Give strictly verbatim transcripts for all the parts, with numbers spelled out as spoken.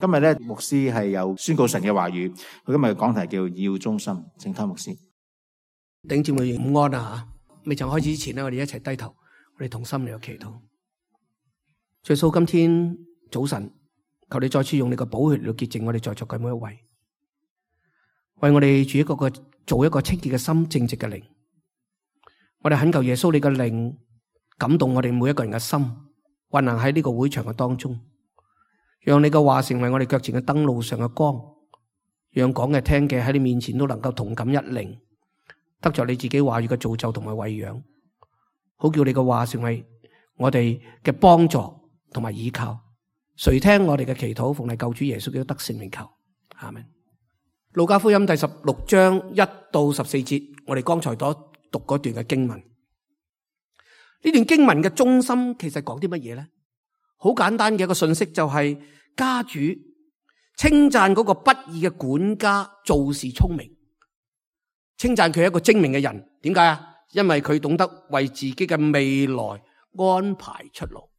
今日咧，牧師係有宣告神嘅話語。佢今日嘅講題叫要忠心，請聽牧師。弟兄姊妹午安啊吓！未曾開始之前咧，我哋一齊低頭，我哋同心嚟祈禱。耶穌，今天早晨，求你再次用你嘅寶血嚟潔淨我哋在座嘅每一位，為我哋主一個個做一個清潔嘅心，正直嘅靈。我哋懇求耶穌，你嘅靈感動我哋每一個人嘅心，運行喺呢個會場嘅當中。讓你嘅話成為我哋腳前嘅燈，路上嘅光，讓講嘅聽嘅喺你面前都能夠同感一靈，得着你自己話語嘅造就同埋餵養，好叫你嘅話成為我哋嘅幫助同埋依靠。垂聽我哋嘅祈禱，奉你救主耶穌基督得勝名求，阿們。路加福音第十六章一到十四節，我哋剛才所讀嗰段嘅經文，呢段經文嘅中心其實講啲乜嘢咧？好簡單嘅一個信息，就係家主稱讚嗰個不義嘅管家做事聰明，稱讚佢係一個精明嘅人。點解啊？因為佢懂得為自己嘅未來安排出路。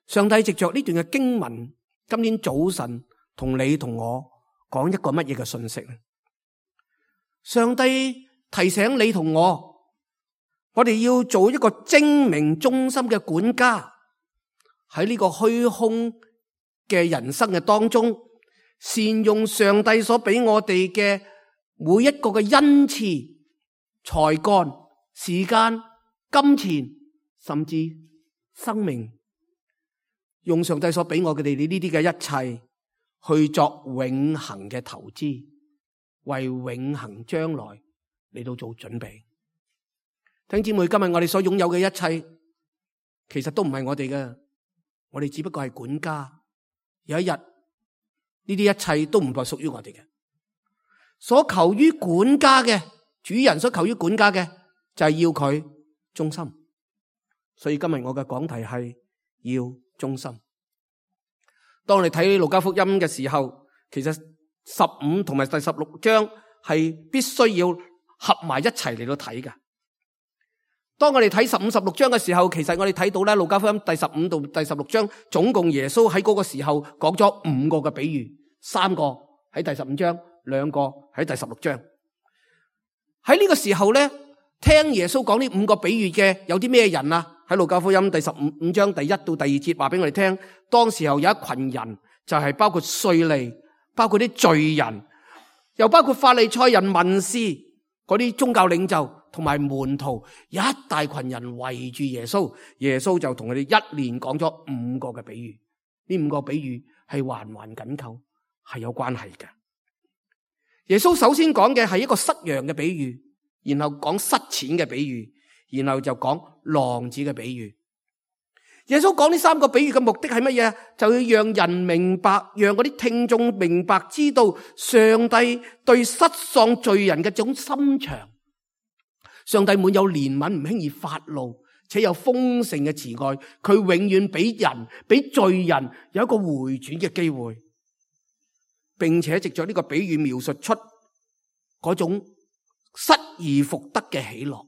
上帝藉着呢段嘅經文，今天早晨同你同我講一個乜嘢嘅信息咧？上帝提醒你同我，我哋要做一個精明忠心嘅管家。喺呢個虛空嘅人生嘅當中，善用上帝所俾我哋嘅每一個嘅恩賜、才幹、時間、金錢，甚至生命，用上帝所俾我哋呢啲嘅一切去作永恆嘅投資，為永恆將來嚟到做準備。弟兄姊妹，今日我哋所擁有嘅一切，其實都唔係我哋嘅。我哋只不過係管家，有一日呢啲一切都唔再屬於我哋嘅。所求於管家嘅主人，所求於管家嘅就係要佢忠心。所以今日我嘅講題係要忠心。當我哋睇路加福音嘅時候，其實十五同埋第十六章係必須要合埋一齊嚟到睇嘅。當我哋睇十五、十六章嘅時候，其實我哋睇到咧，路加福音第十五到第十六章，總共耶穌喺嗰個時候講咗五個嘅比喻，三個喺第十五章，兩個喺第十六章。喺呢個時候咧，聽耶穌講呢五個比喻嘅有啲咩人啊？喺路加福音第十五五章第一到第二節話俾我哋聽，當時候有一群人，就係包括稅吏，包括啲罪人，又包括法利賽人、文士嗰啲宗教領袖。同埋門徒，一大群人圍住耶穌，耶穌就同佢哋一連講咗五個嘅比喻。呢五個比喻係環環緊扣，係有關係嘅。耶穌首先講嘅係一個失羊嘅比喻，然後講失錢嘅比喻，然後就講浪子嘅比喻。耶穌講呢三個比喻嘅目的係乜嘢？就要讓人明白，讓嗰啲聽眾明白，知道上帝對失喪罪人嘅種心腸。上帝滿有憐憫，唔輕易發怒，且有豐盛嘅慈愛。佢永遠俾人、俾罪人有一個回轉嘅機會，並且藉着呢個比喻描述出嗰種失而復得嘅喜樂。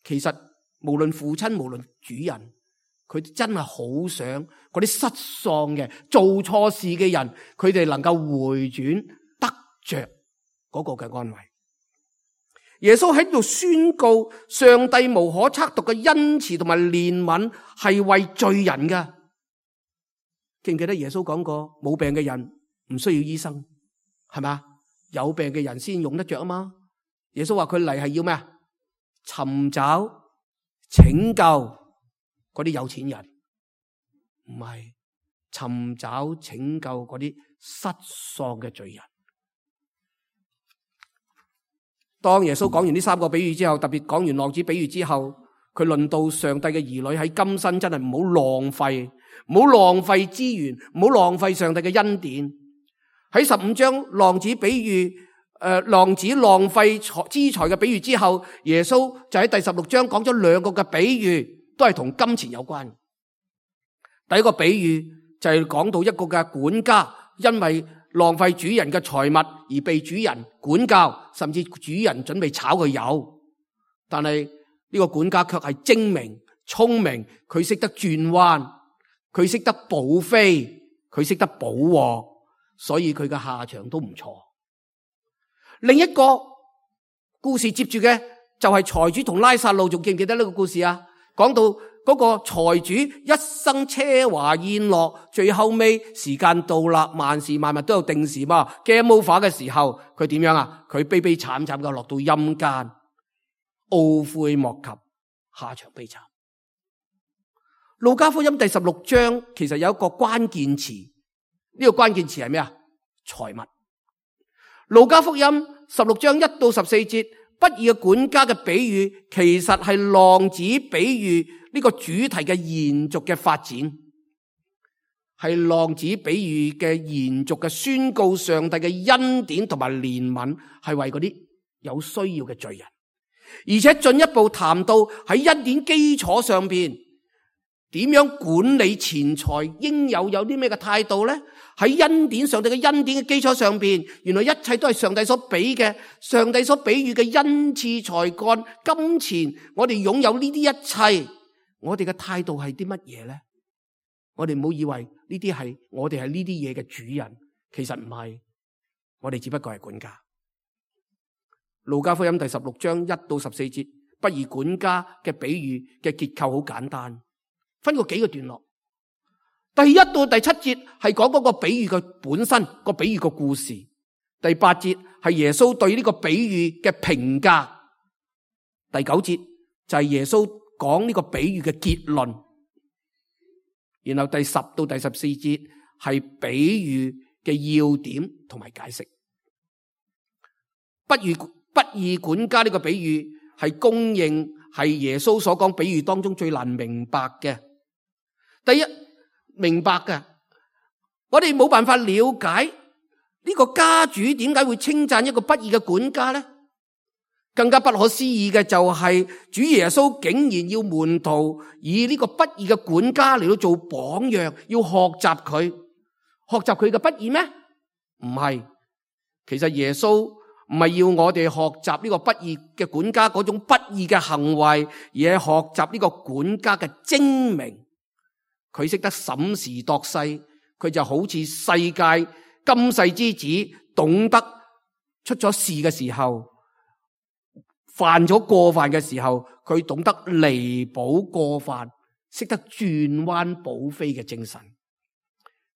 其實無論父親，無論主人，佢真係好想嗰啲失喪嘅、做錯事嘅人，佢哋能夠回轉，得着嗰個嘅安慰。耶穌喺度宣告，上帝無可測度嘅恩慈同埋憐憫係為罪人嘅。記唔記得耶穌講過，冇病嘅人唔需要醫生，係咪？有病嘅人先用得着啊嘛。耶穌話佢嚟係要咩啊？尋找拯救嗰啲有錢人，唔係尋找拯救嗰啲失喪嘅罪人。當耶穌講完呢三個比喻之後，特別講完浪子比喻之後，佢論到上帝嘅兒女喺今生真係唔好浪費，唔好浪費資源，唔好浪費上帝嘅恩典。喺十五章浪子比喻，誒、呃、浪子浪費資財嘅比喻之後，耶穌就喺第十六章講咗兩個嘅比喻，都係同金錢有關。第一個比喻就係講到一個嘅管家，因為浪費主人嘅財物而被主人管教，甚至主人準備炒佢魷。但係呢個管家卻係精明聰明，佢識得轉彎，佢識得補飛，佢識得補鑊，所以佢嘅下場都唔錯。另一個故事接住嘅就係財主同拉撒路，仲記唔記得呢個故事啊？講到嗰個財主一生奢華宴樂，最後尾時間到啦，萬事萬物都有定時嘛。game over 嘅時候，佢點樣啊？佢悲悲慘慘嘅落到陰間，懊悔莫及，下場悲慘。路加福音第十六章其實有一個關鍵詞，呢、這個關鍵詞係咩啊？財物。路加福音十六章一到十四節，不義嘅管家嘅比喻，其實係浪子比喻呢個主題嘅延續嘅發展，係浪子比喻嘅延續嘅宣告上帝嘅恩典同埋憐憫，係為嗰啲有需要嘅罪人，而且進一步談到喺恩典基礎上邊點樣管理錢財，應有有啲咩嘅態度咧？喺恩典上帝嘅恩典嘅基礎上邊，原來一切都係上帝所俾嘅，上帝所比喻嘅恩賜、才幹、金錢，我哋擁有呢啲一切，我哋嘅態度係啲乜嘢咧？我哋唔好以為呢啲係我哋係呢啲嘢嘅主人，其實唔係，我哋只不過係管家。路加福音第十六章一到十四節，不義管家嘅比喻嘅結構好簡單，分過幾個段落。第一到第七節係講嗰個比喻嘅本身，個比喻嘅故事。第八節係耶穌對呢個比喻嘅評價。第九節就係耶穌講呢個比喻嘅結論。然後第十到第十四節係比喻嘅要點同埋解釋。不義不義管家呢個比喻係公認係耶穌所講比喻當中最難明白嘅。第一，明白嘅，我哋冇辦法了解呢個家主點解會稱讚一個不義嘅管家呢？更加不可思議嘅就係主耶穌竟然要門徒以呢個不義嘅管家嚟到做榜樣，要學習佢，學習佢嘅不義咩？唔係，其實耶穌唔係要我哋學習呢個不義嘅管家嗰種不義嘅行為，而係學習呢個管家嘅精明。佢識得審時度勢，佢就好似世界今世之子，懂得出咗事嘅時候，犯咗過犯嘅時候，佢懂得彌補過犯，識得轉彎補飛嘅精神，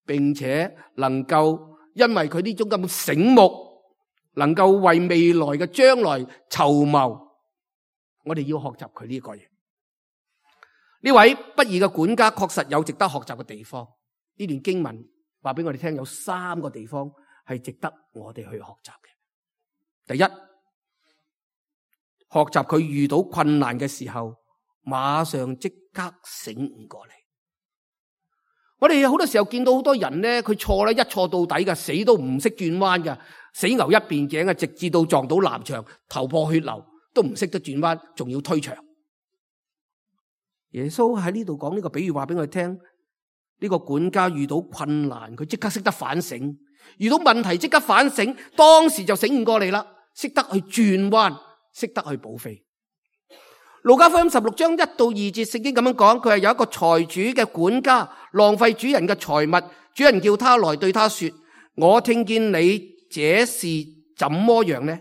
並且能夠因為佢呢種咁醒目，能夠為未來嘅將來籌謀。我哋要學習佢呢個嘢。呢位不義嘅管家確實有值得學習嘅地方。呢段經文話俾我哋聽，有三個地方係值得我哋去學習嘅。第一，學習佢遇到困難嘅時候，馬上即刻醒悟過嚟。我哋好多時候見到好多人咧，佢錯咧一錯到底嘅，死都唔識轉彎嘅，死牛一邊頸嘅，直至到撞到南牆，頭破血流，都唔識得轉彎，仲要推牆。耶穌喺呢度講呢個比喻話俾我哋聽，呢個管家遇到困難，佢即刻識得反省，遇到問題即刻反省，當時就醒悟過嚟啦，識得去轉彎，識得去補飛。路加福音十六章一到二節聖經咁樣講，佢係有一個財主嘅管家浪費主人嘅財物，主人叫他來對他說：我聽見你這事怎麼樣呢？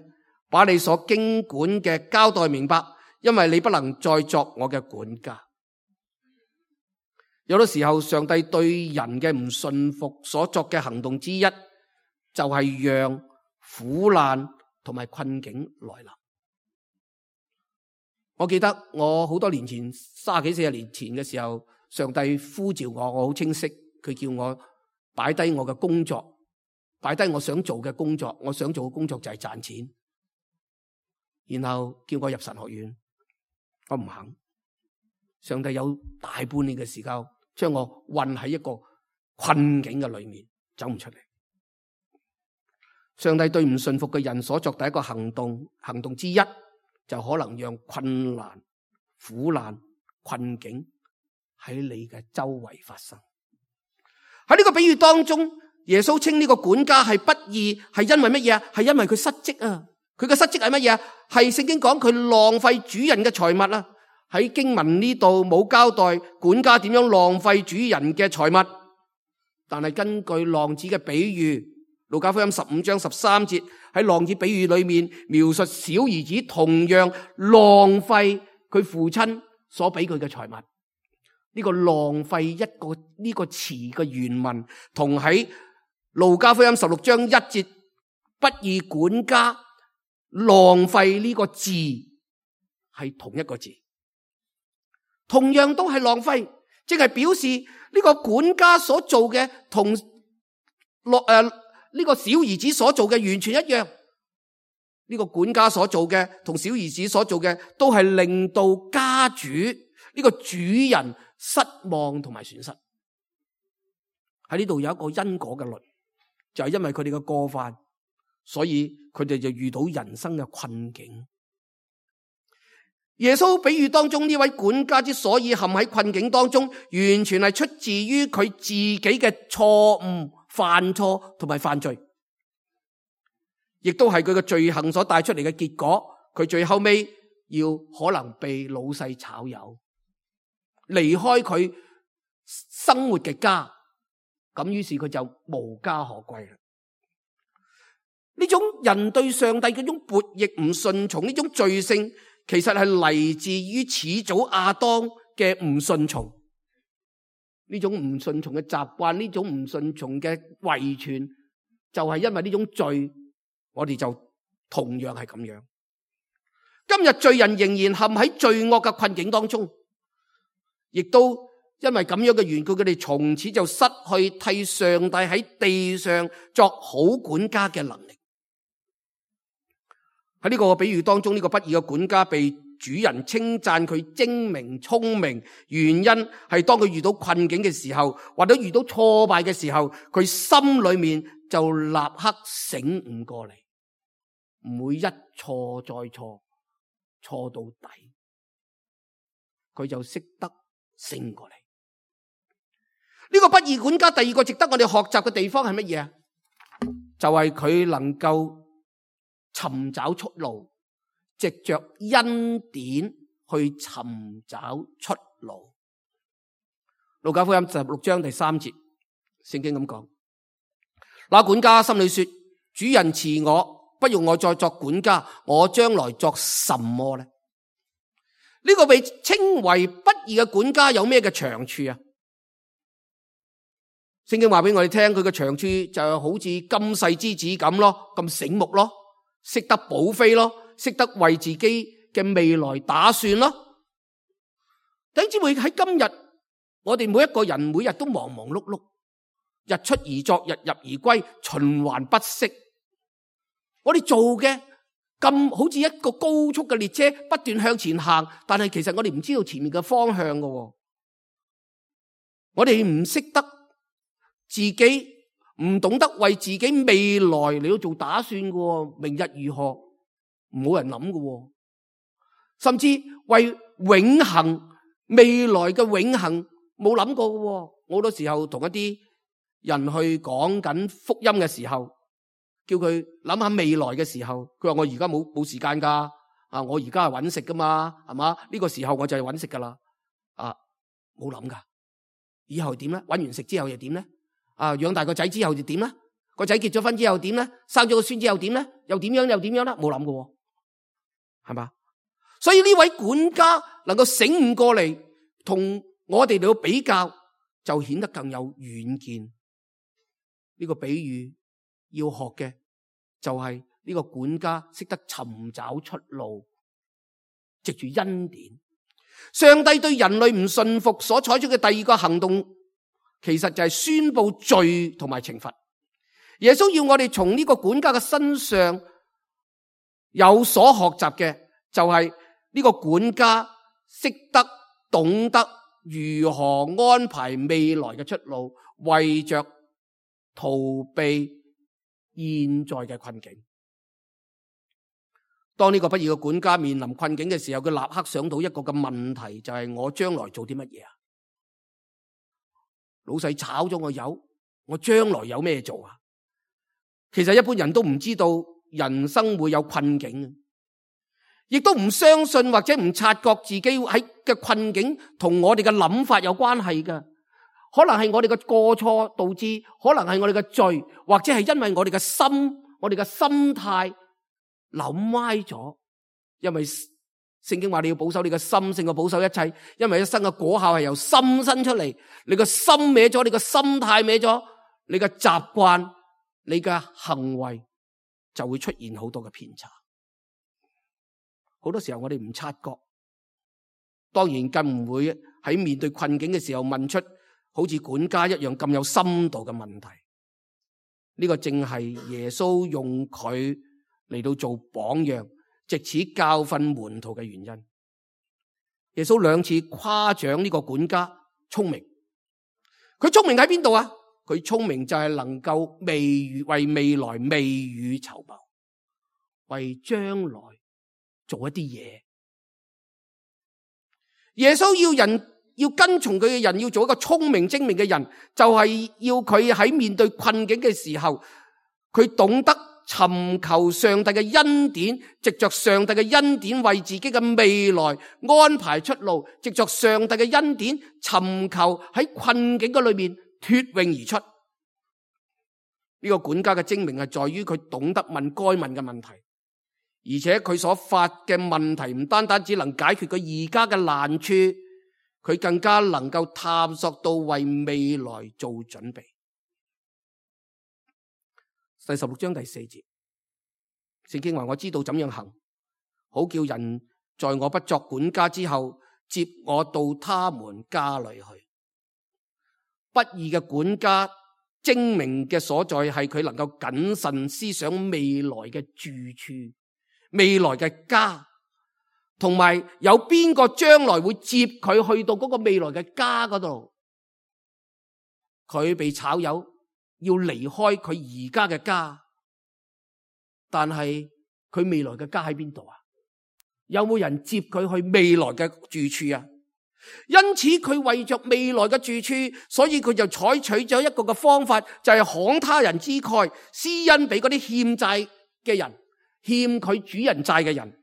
把你所經管嘅交代明白，因為你不能再作我嘅管家。有啲時候，上帝對人嘅唔信服所作嘅行動之一，就係讓苦難同埋困境來臨。我記得我好多年前，三十幾四十年前嘅時候，上帝呼召我，我好清晰，佢叫我擺低我嘅工作，擺低我想做嘅工作，我想做嘅工作就係賺錢，然後叫我入神學院，我唔肯。上帝有大半年嘅時間，將我困喺一個困境嘅裏面，走唔出嚟。上帝對唔信服嘅人所作第一個行動，行動之一就可能讓困難、苦難、困境喺你嘅周圍發生。喺呢個比喻當中，耶穌稱呢個管家係不義，係因為乜嘢啊？係因為佢失職啊！佢嘅失職係乜嘢啊？係聖經講佢浪費主人嘅財物啊！喺經文呢度冇交代管家點樣浪費主人嘅財物，但係根據浪子嘅比喻，路加福音十五章十三節喺浪子比喻裏面描述小兒子同樣浪費佢父親所俾佢嘅財物。呢個浪費一個呢個詞嘅原文同喺路加福音十六章一節不義管家浪費呢個字係同一個字，同樣都係浪費，即係表示呢個管家所做嘅同落誒呢個小兒子所做嘅完全一樣。呢個管家所做嘅同小兒子所做嘅都係令到家主呢個主人失望同埋損失。喺呢度有一個因果嘅律，就係因為佢哋嘅過犯，所以佢哋就遇到人生嘅困境。耶穌比喻當中呢位管家之所以陷喺困境當中，完全係出自於佢自己嘅錯誤、犯錯同埋犯罪，亦都係佢嘅罪行所帶出嚟嘅結果。佢最後尾要可能被老細炒魷，離開佢生活嘅家，咁於是佢就無家可歸啦。呢種人對上帝嗰種悖逆唔順從，呢種罪性，其實係嚟自於始祖亞當嘅唔順從。呢種唔順從嘅習慣，呢種唔順從嘅遺傳，就係因為呢種罪，我哋就同樣係咁樣。今日罪人仍然陷喺罪惡嘅困境當中，亦都因為咁樣嘅緣故，佢哋從此就失去替上帝喺地上作好管家嘅能力。喺呢個比喻當中，呢個不義嘅管家被主人稱讚佢精明聰明，原因係當佢遇到困境嘅時候，或者遇到挫敗嘅時候，佢心裏面就立刻醒悟過嚟，唔會一錯再錯，錯到底，佢就識得醒過嚟。呢個不義管家第二個值得我哋學習嘅地方係乜嘢啊？就係佢能夠尋找出路，藉着恩典去尋找出路。路加福音十六章第三節，聖經咁講：那管家心裏說，主人辭我，不用我再作管家，我將來作什麼呢？呢個被稱為不義嘅管家有咩嘅長處啊？聖經話俾我哋聽，佢嘅長處就係好似金世之子咁咯，咁醒目咯，識得補飛咯，識得為自己嘅未來打算咯。弟兄姊妹，喺今日，我哋每一個人每日都忙忙碌碌，日出而作，日入而歸，循環不息。我哋做嘅咁好似一個高速嘅列車，不斷向前行，但係其實我哋唔知道前面嘅方向㗎。我哋唔識得自己，唔懂得為自己未來嚟到做打算㗎。明日如何，冇人諗㗎。甚至為永恆未來嘅永恆冇諗過㗎。好多時候同一啲人去講緊福音嘅時候，叫佢諗下未來嘅時候，佢話我而家冇冇時間噶，啊我而家係搵食噶嘛，係嘛？呢個時候我就係搵食噶啦，啊冇諗噶，以後點咧？搵完食之後又點咧？啊養大個仔之後就點咧？個仔結咗婚之後點咧？生咗個孫之後點咧？又點樣又點樣咧？冇諗噶，係嘛？所以呢位管家能夠醒悟過嚟，同我哋嚟到比較，就顯得更有遠見。呢個比喻要學嘅就係呢個管家識得尋找出路，藉住恩典。上帝對人類唔信服所採取嘅第二個行動，其實就係宣布罪同埋懲罰。耶穌要我哋從呢個管家嘅身上有所學習嘅，就係呢個管家識得懂得如何安排未來嘅出路，為着逃避現在嘅困境。當呢個不義嘅管家面臨困境嘅時候，佢立刻想到一個嘅問題，就係我將來做啲乜嘢啊？老細炒咗我魷，我將來有咩做啊？其實一般人都唔知道人生會有困境，亦都唔相信或者唔察覺自己喺嘅困境同我哋嘅諗法有關係㗎。可能係我哋嘅過錯導致，可能係我哋嘅罪，或者係因為我哋嘅心，我哋嘅心態諗歪咗。因為聖經話你要保守你嘅心勝過保守一切，因為一生嘅果效係由心生出嚟。你個心歪咗，你個心態歪咗，你嘅習慣，你嘅行為就會出現好多嘅偏差。好多時候我哋唔察覺，當然更唔會喺面對困境嘅時候問出好似管家一樣咁有深度嘅問題。呢個正係耶穌用佢嚟到做榜樣，藉此教訓門徒嘅原因。耶穌兩次誇獎呢個管家聰明，佢聰明喺邊度啊？佢聰明就係能夠未為未來未雨綢繆，為將來做一啲嘢。耶穌要人要跟從佢嘅人，要做一個聰明精明嘅人，就係要佢喺面對困境嘅時候，佢懂得尋求上帝嘅恩典，藉着上帝嘅恩典為自己嘅未來安排出路，藉着上帝嘅恩典尋求喺困境嘅裏面脫穎而出。呢個管家嘅精明係在於佢懂得問該問嘅問題，而且佢所發嘅問題唔單單只能解決佢而家嘅難處，佢更加能夠探索到為未來做準備。第十六章第四節，聖經話：我知道怎樣行，好叫人在我不作管家之後，接我到他們家裏去。不義嘅管家精明嘅所在係佢能夠謹慎思想未來嘅住處、未來嘅家，同埋有邊個將來會接佢去到嗰個未來嘅家嗰度。佢被炒魷，要離開佢而家嘅家，但係佢未來嘅家喺邊度啊？有冇人接佢去未來嘅住處啊？因此佢為着未來嘅住處，所以佢就採取咗一個嘅方法，就係慷他人之慨，施恩俾嗰啲欠債嘅人，欠佢主人債嘅人。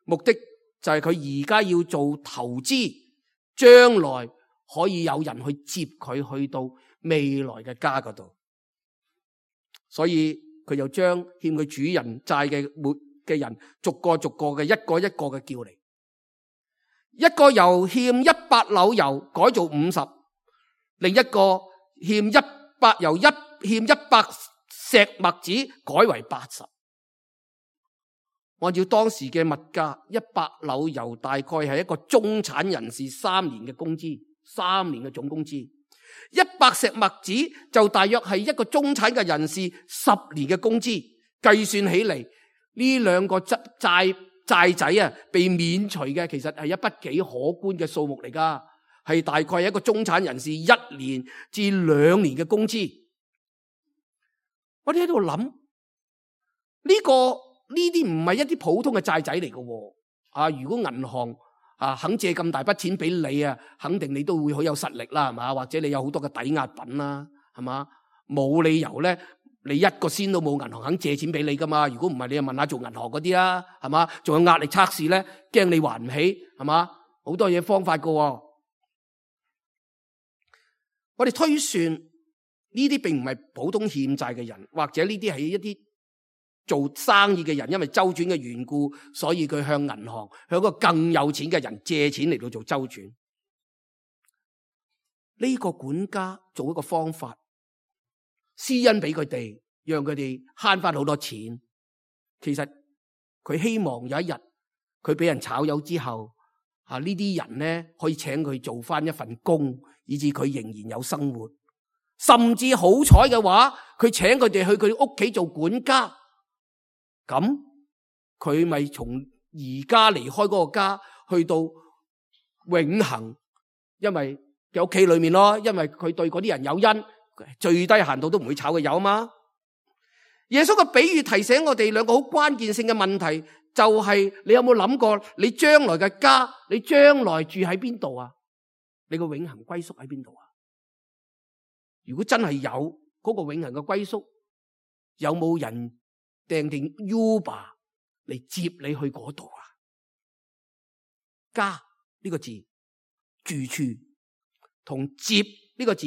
目的就係佢而家要做投資，將來可以有人去接佢去到未來嘅家嗰度。所以佢就將欠佢主人債嘅每嘅人逐個逐個嘅一個一個嘅叫嚟。一個由欠一百簍油改做五十，另一個欠一百由一欠一百石麥子改為八十。按照當時嘅物價，一百簍油大概係一個中產人士三年嘅工資，三年嘅總工資。一百石麥子就大約係一個中產嘅人士十年嘅工資。計算起嚟，呢兩個債債債仔啊，被免除嘅其實係一筆幾可觀嘅數目嚟噶，係大概係一個中產人士一年至兩年嘅工資。我哋喺度諗，呢個呢啲唔係一啲普通嘅債仔嚟嘅。啊，如果銀行啊肯借咁大筆錢俾你啊，肯定你都會好有實力啦，係嘛？或者你有好多嘅抵押品啦，係嘛？冇理由咧。你一個仙都冇，銀行肯借錢俾你噶嘛？如果唔係，你就問下做銀行嗰啲啦，係嘛？仲有壓力測試咧，驚你還唔起，係嘛？好多嘢方法噶。我哋推算呢啲並唔係普通欠債嘅人，或者呢啲係一啲做生意嘅人，因為周轉嘅緣故，所以佢向銀行向一個更有錢嘅人借錢嚟到做周轉。呢個管家做一個方法。施恩俾佢哋，讓佢哋慳翻好多錢。其實佢希望有一日佢俾人炒魷之後，啊呢啲人咧可以請佢做翻一份工，以致佢仍然有生活。甚至好彩嘅話，佢請佢哋去佢屋企做管家，咁佢咪從而家離開嗰個家去到永恆，因為嘅屋企裏面咯，因為佢對嗰啲人有恩。最低限度都唔會炒佢魷嘛。耶穌嘅比喻提醒我哋兩個好關鍵性嘅問題，就係你有冇諗過你將來嘅家，你將來住喺邊度啊？你個永恆歸宿喺邊度啊？如果真係有嗰個永恆嘅歸宿，有冇人訂定 Uber 嚟接你去嗰度啊？家呢個字，住處同接呢個字，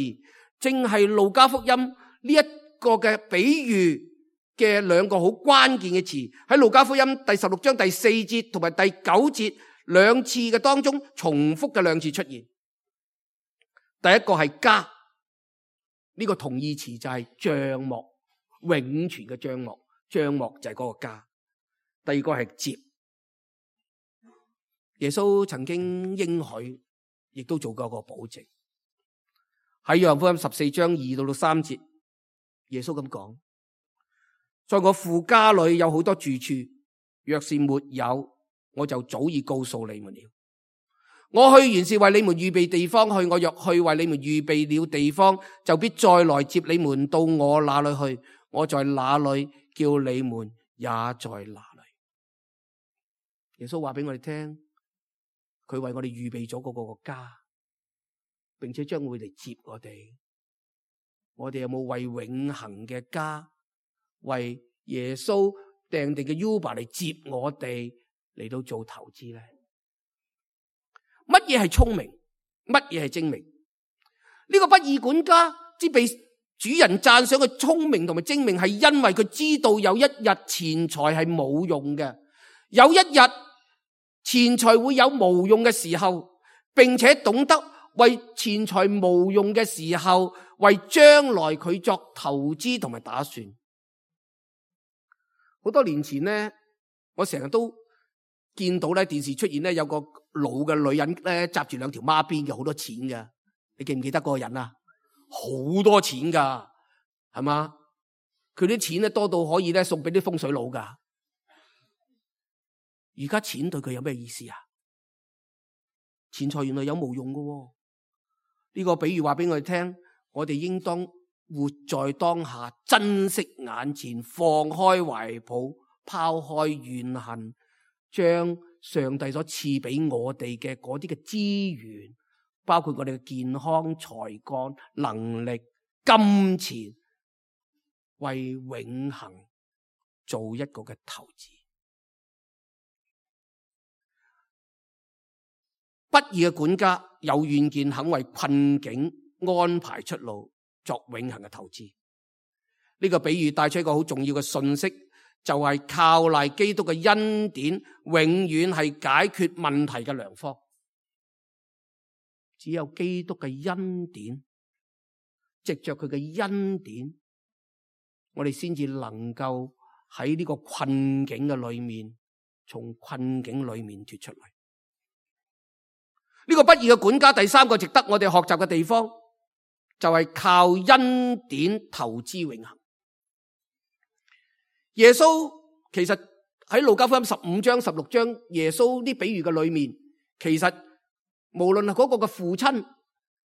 正係路加福音呢一個嘅比喻嘅兩個好關鍵嘅詞，喺路加福音第十六章第四節同埋第九節兩次嘅當中重複嘅兩次出現。第一個係家，呢個同義詞就係帳幕，永存嘅帳幕，帳幕就係嗰個家。第二個係接，耶穌曾經應許，亦都做過一個保證。喺約翰福音十四章二到到三節，耶穌咁講：在我父家裏有好多住處，若是沒有，我就早已告訴你們了。我去原是為你們預備地方去，我若去為你們預備了地方，就必再來接你們到我那裏去。我在哪裏，叫你們也在哪裏。耶穌話俾我哋聽，佢為我哋預備咗嗰個家，並且將會嚟接我哋。我哋有冇為永恆嘅家，為耶穌訂定嘅 Uber 嚟接我哋嚟到做投資咧？乜嘢係聰明？乜嘢係精明？呢個不義管家之被主人讚賞嘅聰明同埋精明，係因為佢知道有一日錢財係冇用嘅，有一日錢財會有無用嘅時候，並且懂得為錢財無用嘅時候，為將來佢作投資同埋打算。好多年前呢，我成日都見到咧電視出現咧有個老嘅女人咧紮住兩條孖辮嘅，好多錢嘅。你記唔記得嗰個人啊？好多錢噶，係嘛？佢啲錢咧多到可以咧送俾啲風水佬噶。而家錢對佢有咩意思啊？錢財原來有無用噶喎。呢個比喻話俾我哋聽，我哋應當活在當下，珍惜眼前，放開懷抱，拋開怨恨，將上帝所賜俾我哋嘅嗰啲嘅資源，包括我哋嘅健康、才幹、能力、金錢，為永恆做一個嘅投資。不義嘅管家有遠見，肯為困境安排出路，作永恆嘅投資。呢個比喻帶出一個好重要嘅信息，就係靠賴基督嘅恩典，永遠係解決問題嘅良方。只有基督嘅恩典，藉着佢嘅恩典，我哋先至能夠喺呢個困境嘅裏面，從困境裏面脫出嚟。呢個不義嘅管家，第三個值得我哋學習嘅地方，就係靠恩典投資永恆。耶穌其實喺路加福音十五章、十六章，耶穌啲比喻嘅裏面，其實無論係嗰個嘅父親、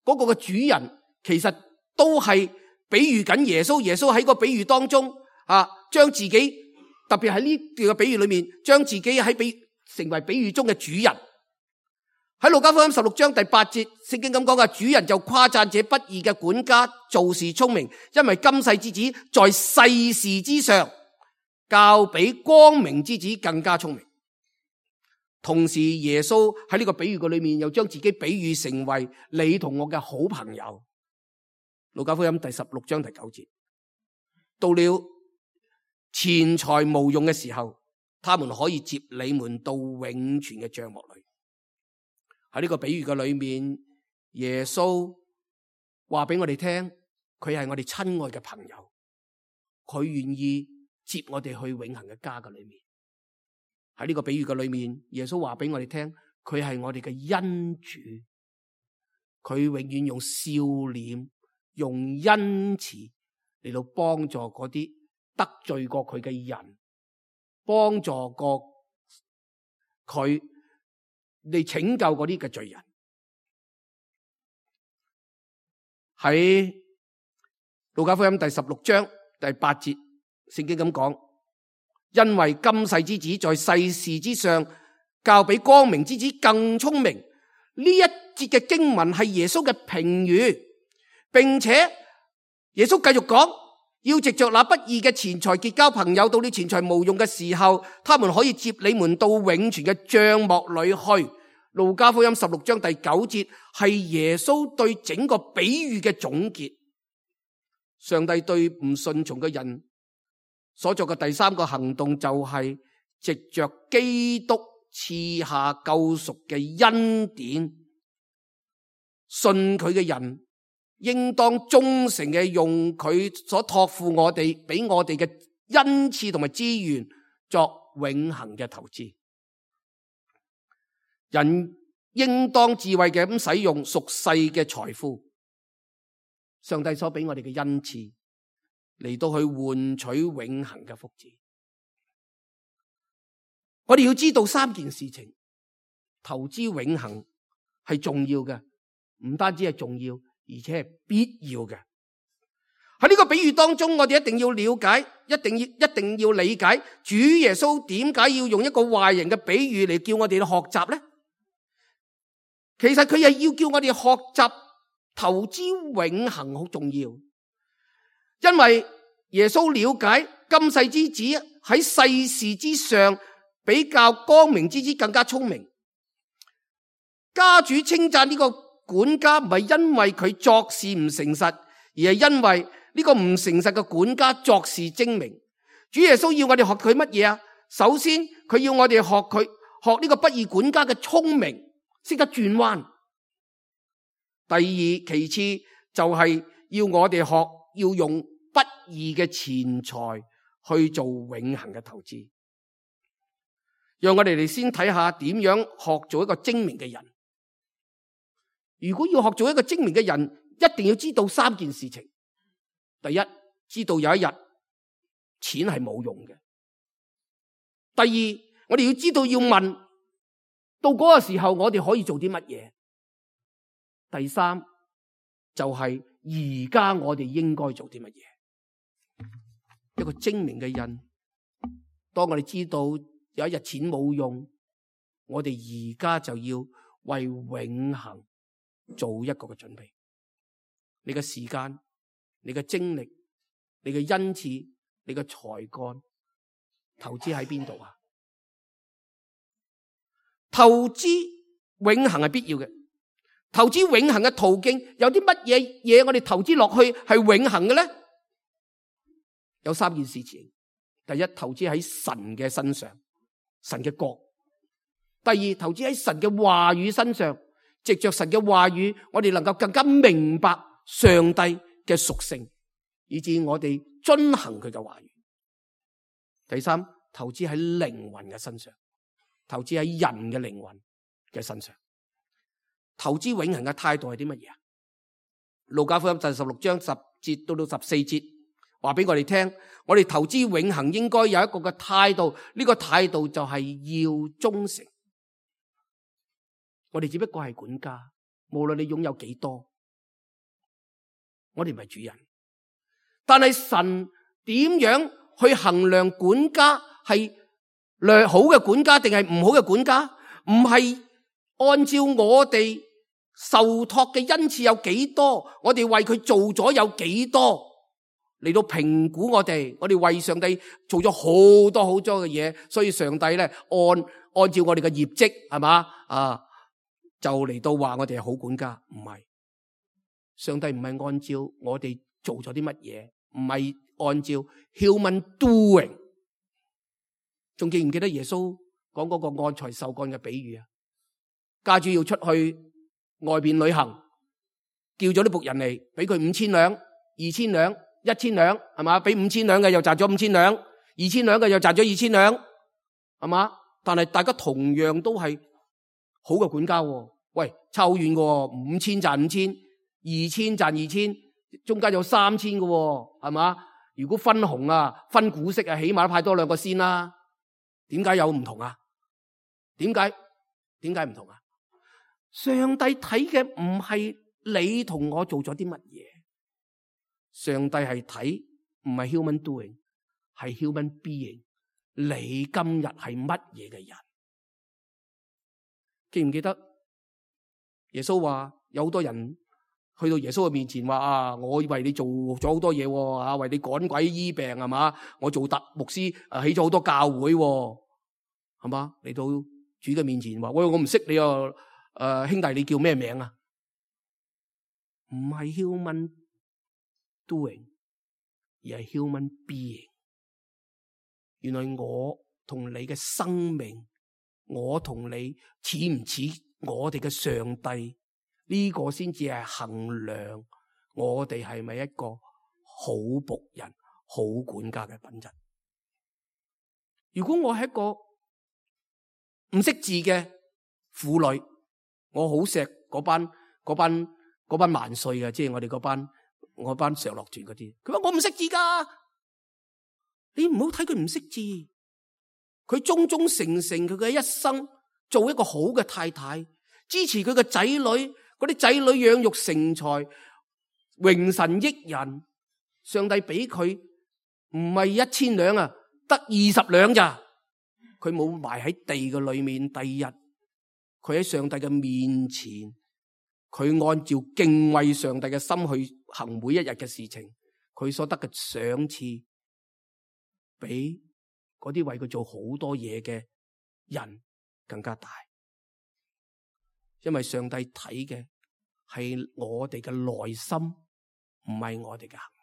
嗰個嘅主人，其實都係比喻緊耶穌。耶穌喺個比喻當中啊，將自己特別喺呢段嘅比喻裏面，將自己喺比成為比喻中嘅主人。喺路加福音十六章第八節，聖經咁講嘅，主人就誇讚這不義嘅管家做事聰明，因為今世之子在世事之上，較比光明之子更加聰明。同時，耶穌喺呢個比喻嘅裏面，又將自己比喻成為你同我嘅好朋友。路加福音第十六章第九節，到了錢財無用嘅時候，他們可以接你們到永存嘅帳幕裏。喺呢個比喻嘅裏面，耶穌話俾我哋聽，佢係我哋親愛嘅朋友，佢願意接我哋去永恆嘅家嘅裏面。喺呢個比喻嘅裏面，耶穌話俾我哋聽，佢係我哋嘅恩主，佢永遠用笑臉、用恩慈嚟到幫助嗰啲得罪過佢嘅人，幫助過佢嚟拯救嗰啲嘅罪人。喺路加福音第十六章第八節，聖經咁講，因為今世之子在世事之上，較比光明之子更聰明。呢一節嘅經文係耶穌嘅評語，並且耶穌繼續講，要藉着那不義嘅錢財結交朋友，到你錢財無用嘅時候，他們可以接你們到永存嘅帳幕裏去。路加福音十六章第九節係耶穌對整個比喻嘅總結。上帝對唔順從嘅人所作嘅第三個行動，就係藉着基督賜下救贖嘅恩典，信佢嘅人應當忠誠嘅用佢所託付我哋俾我哋嘅恩賜同埋資源作永恆嘅投資。人應當智慧嘅咁使用屬世嘅財富，上帝所俾我哋嘅恩賜嚟到去換取永恆嘅福祉。我哋要知道三件事情，投資永恆係重要嘅，唔單止係重要，而且係必要嘅。喺呢個比喻當中，我哋一定要了解，一定要一定要理解主耶穌點解要用一個壞人嘅比喻嚟叫我哋去學習呢？其實佢係要叫我哋學習投資永恆好重要，因為耶穌了解今世之子喺世事之上比較光明之子更加聰明。家主稱讚呢個管家唔係因為佢作事唔誠實，而係因為呢個唔誠實嘅管家作事精明。主耶穌要我哋學佢乜嘢啊？首先佢要我哋學佢學呢個不義管家嘅聰明，識得轉彎。第二，其次就係要我哋學要用不義嘅錢財去做永恆嘅投資。讓我哋嚟先睇下點樣學做一個精明嘅人。如果要學做一個精明嘅人，一定要知道三件事情。第一，知道有一日錢係冇用嘅。第二，我哋要知道要問到嗰個時候我哋可以做啲乜嘢。第三，就係而家我哋應該做啲乜嘢。一個精明嘅人，當我哋知道有一日錢冇用，我哋而家就要為永恆做一個嘅準備。你嘅時間、你嘅精力、你嘅恩賜、你嘅才幹，投資喺邊度啊？投資永恆係必要嘅。投資永恆嘅途徑有啲乜嘢嘢？我哋投資落去係永恆嘅咧？有三件事情。第一，投資喺神嘅身上，神嘅國；第二，投資喺神嘅話語身上，藉着神嘅話語，我哋能夠更加明白上帝嘅屬性，以致我哋遵行佢嘅話語。第三，投資喺靈魂嘅身上，投資喺人嘅靈魂嘅身上。投資永恆嘅態度係啲乜嘢啊？路加福音第十六章十節到到十四節，話俾我哋聽，我哋投資永恆應該有一個嘅態度，呢個態度就係要忠誠。我哋只不過係管家，無論你擁有幾多，我哋唔係主人。但係神點樣去衡量管家係良好嘅管家定係唔好嘅管家？唔係按照我哋受託嘅恩賜有幾多，我哋為佢做咗有幾多嚟到評估我哋。我哋為上帝做咗好多好多嘅嘢，所以上帝咧按按照我哋嘅業績係嘛啊，就嚟到話我哋係好管家。唔係，上帝唔係按照我哋做咗啲乜嘢，唔係按照 human doing。仲記唔記得耶穌講嗰個按才受幹嘅比喻啊？家主要出去外邊旅行，叫咗啲僕人嚟，俾佢五千兩、二千兩、一千兩，係嘛？俾五千兩嘅又賺咗五千兩，二千兩嘅又賺咗二千兩，係嘛？但係大家同樣都係好嘅管家。喂，差好遠嘅，五千賺五千，二千賺二千，中間有三千嘅，係嘛？如果分紅啊、分股息啊，起碼都派多兩個先啦。點解有唔同啊？點解？點解唔同啊？上帝睇嘅唔係你同我做咗啲乜嘢，上帝係睇唔係 human doing， 係 human being。你今日係乜嘢嘅人？記唔記得耶穌話有好多人去到耶穌嘅面前話啊，我為你做咗好多嘢啊，為你趕鬼醫病係嘛？我做特牧師啊，起咗好多教會係嘛？嚟到主嘅面前話：喂，我唔識你啊！誒、呃，兄弟，你叫咩名啊？唔係 human doing， 而係 human being。原來我同你嘅生命，我同你似唔似我哋嘅上帝？呢、這個先至係衡量我哋係咪一個好僕人、好管家嘅品質。如果我係一個唔識字嘅婦女，我好錫嗰班嗰班嗰班萬歲嘅，即係我哋嗰班我班常樂團嗰啲。佢話我唔識字噶，你唔好睇佢唔識字，佢忠忠誠誠佢嘅一生，做一個好嘅太太，支持佢嘅仔女，嗰啲仔女養育成才，榮神益人。上帝俾佢唔係一千兩啊，得二十兩咋？佢冇埋喺地嘅裏面。第二日，佢喺上帝嘅面前，佢按照敬畏上帝嘅心去行每一日嘅事情，佢所得嘅賞賜，比嗰啲為佢做好多嘢嘅人更加大。因為上帝睇嘅係我哋嘅內心，唔係我哋嘅行為。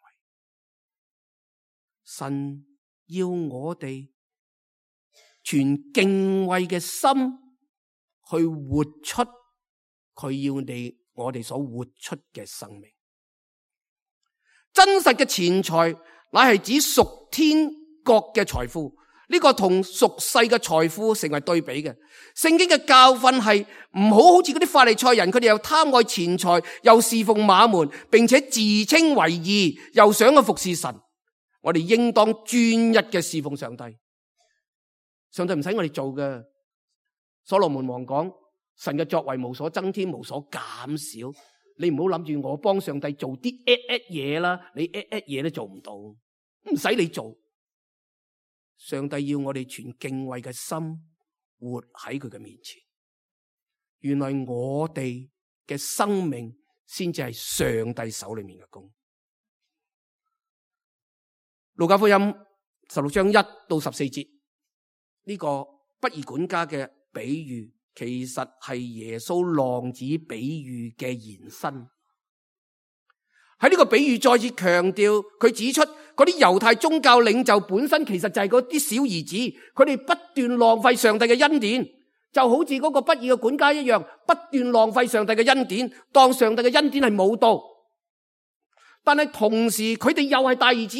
神要我哋全敬畏嘅心去活出佢要你我哋所活出嘅生命。真實嘅錢財乃係指屬天國嘅財富，呢個同屬世嘅財富成為對比嘅。聖經嘅教訓係唔好好似嗰啲法利賽人，佢哋又貪愛錢財，又侍奉馬門，並且自稱為義，又想去服侍神。我哋應當專一嘅侍奉上帝。上帝唔使我哋做嘅。所羅門王講，神嘅作為無所增添，無所減少。你唔好諗住我幫上帝做啲 at at 嘢啦，你 at at 嘢都做唔到，唔使你做。上帝要我哋全敬畏嘅心活喺佢嘅面前。原來我哋嘅生命先至係上帝手裏面嘅工。路加福音十六章一到十四節，呢個不義管家嘅比喻，其實係耶穌浪子比喻嘅延伸。喺呢個比喻再次強調，佢指出嗰啲猶太宗教領袖本身其實就係嗰啲小兒子，佢哋不斷浪費上帝嘅恩典，就好似嗰個不義嘅管家一樣，不斷浪費上帝嘅恩典，當上帝嘅恩典係冇到。但係同時佢哋又係大兒子，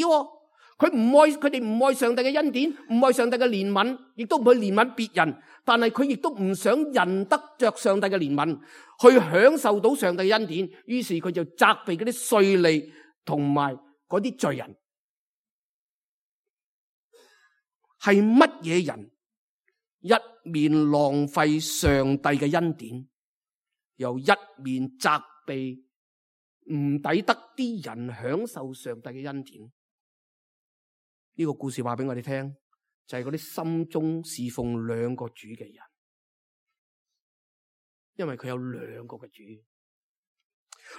佢唔愛佢哋唔愛上帝嘅恩典，唔愛上帝嘅憐憫，亦都唔去憐憫別人。但係佢亦都唔想人得着上帝嘅憐憫，去享受到上帝嘅恩典。於是佢就責備嗰啲稅吏同埋嗰啲罪人。係乜嘢人一面浪費上帝嘅恩典，又一面責備唔抵得啲人享受上帝嘅恩典？呢個故事話俾我哋聽，就係嗰啲心中侍奉兩個主嘅人，因為佢有兩個嘅主。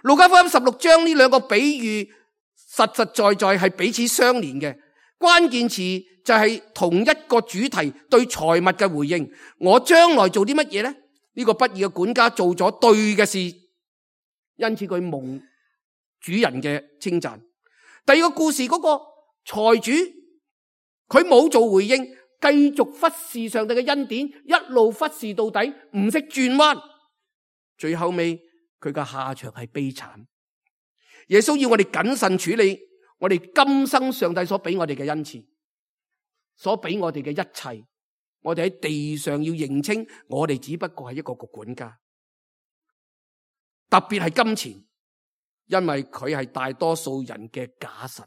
路加福音十六章呢兩個比喻實實在在係彼此相連嘅，關鍵詞就係同一個主題，對財物嘅回應。我將來做啲乜嘢呢？呢個不義嘅管家做咗對嘅事，因此佢蒙主人嘅稱讚。第二個故事嗰個財主，佢冇做回應，繼續忽視上帝嘅恩典，一路忽視到底，唔識轉彎，最後尾佢嘅下場係悲慘。耶穌要我哋謹慎處理我哋今生上帝所俾我哋嘅恩賜，所俾我哋嘅一切。我哋喺地上要認清，我哋只不過係一個個管家，特別係金錢，因為佢係大多數人嘅假神。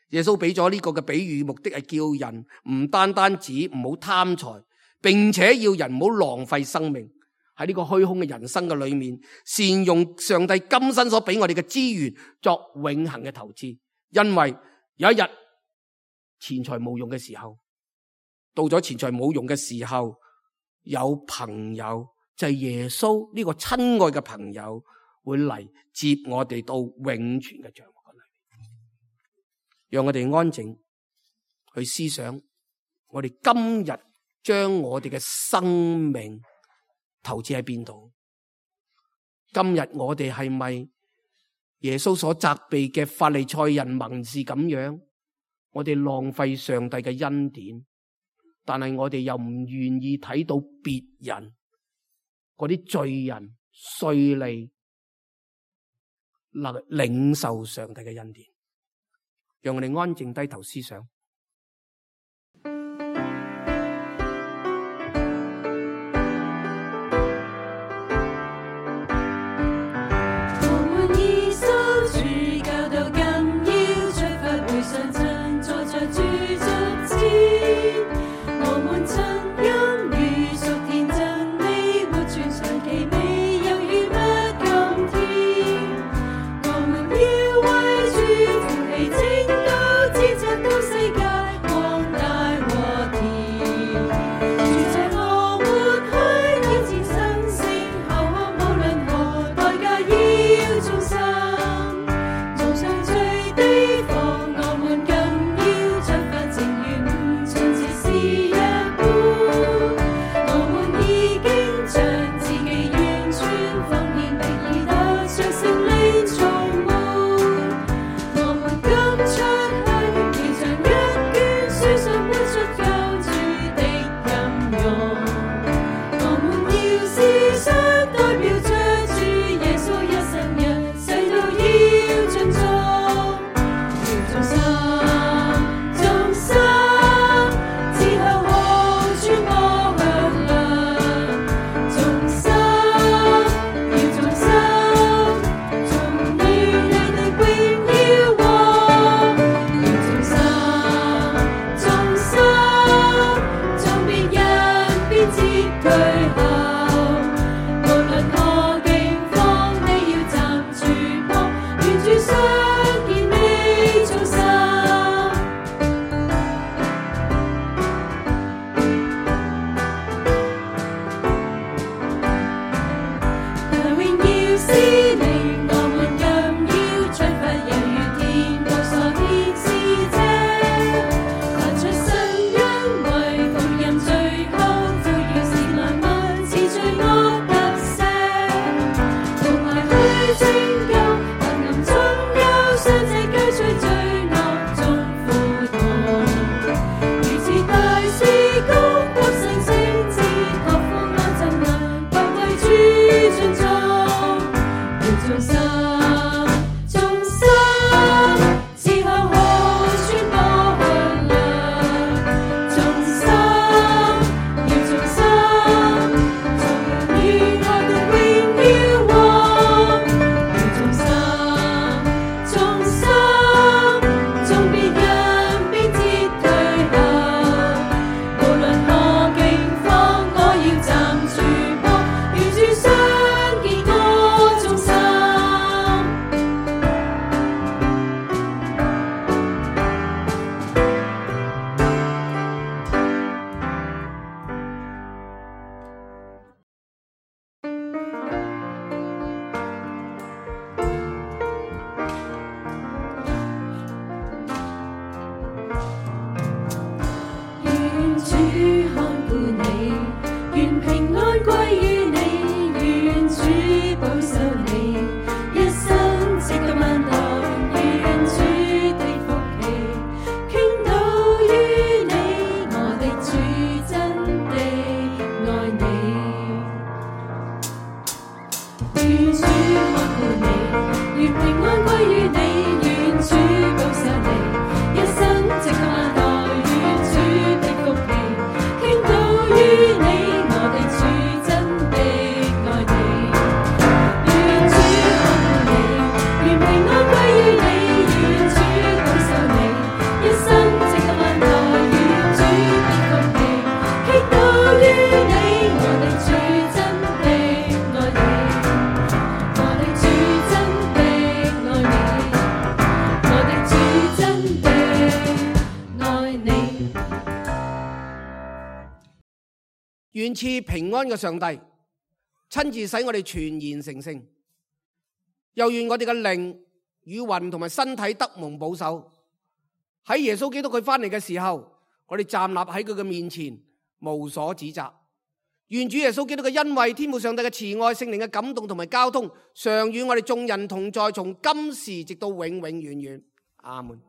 耶穌俾咗呢個嘅比喻，目的係叫人唔單單止唔好貪財，並且要人唔好浪費生命喺呢個虛空嘅人生嘅裏面，善用上帝今生所俾我哋嘅資源作永恆嘅投資。因為有一日錢財冇用嘅時候，到咗錢財冇用嘅時候，有朋友就係耶穌呢個親愛嘅朋友會嚟接我哋到永存嘅帳幕嗰裏。讓我哋安靜去思想，我哋今日將我哋嘅生命投資喺邊度？今日我哋係咪耶穌所責備嘅法利賽人文士咁樣？我哋浪費上帝嘅恩典，但係我哋又唔願意睇到別人嗰啲罪人稅吏能領受上帝嘅恩典。讓我哋安靜低頭思想。願賜平安嘅上帝親自使我哋全然成聖，又願我哋嘅靈與魂同埋身體得蒙保守。喺耶穌基督佢翻嚟嘅時候，我哋站立喺佢嘅面前，無所指責。願主耶穌基督嘅恩惠、天父上帝嘅慈愛、聖靈嘅感動同埋交通，常與我哋眾人同在，從今時直到永永遠遠。阿門。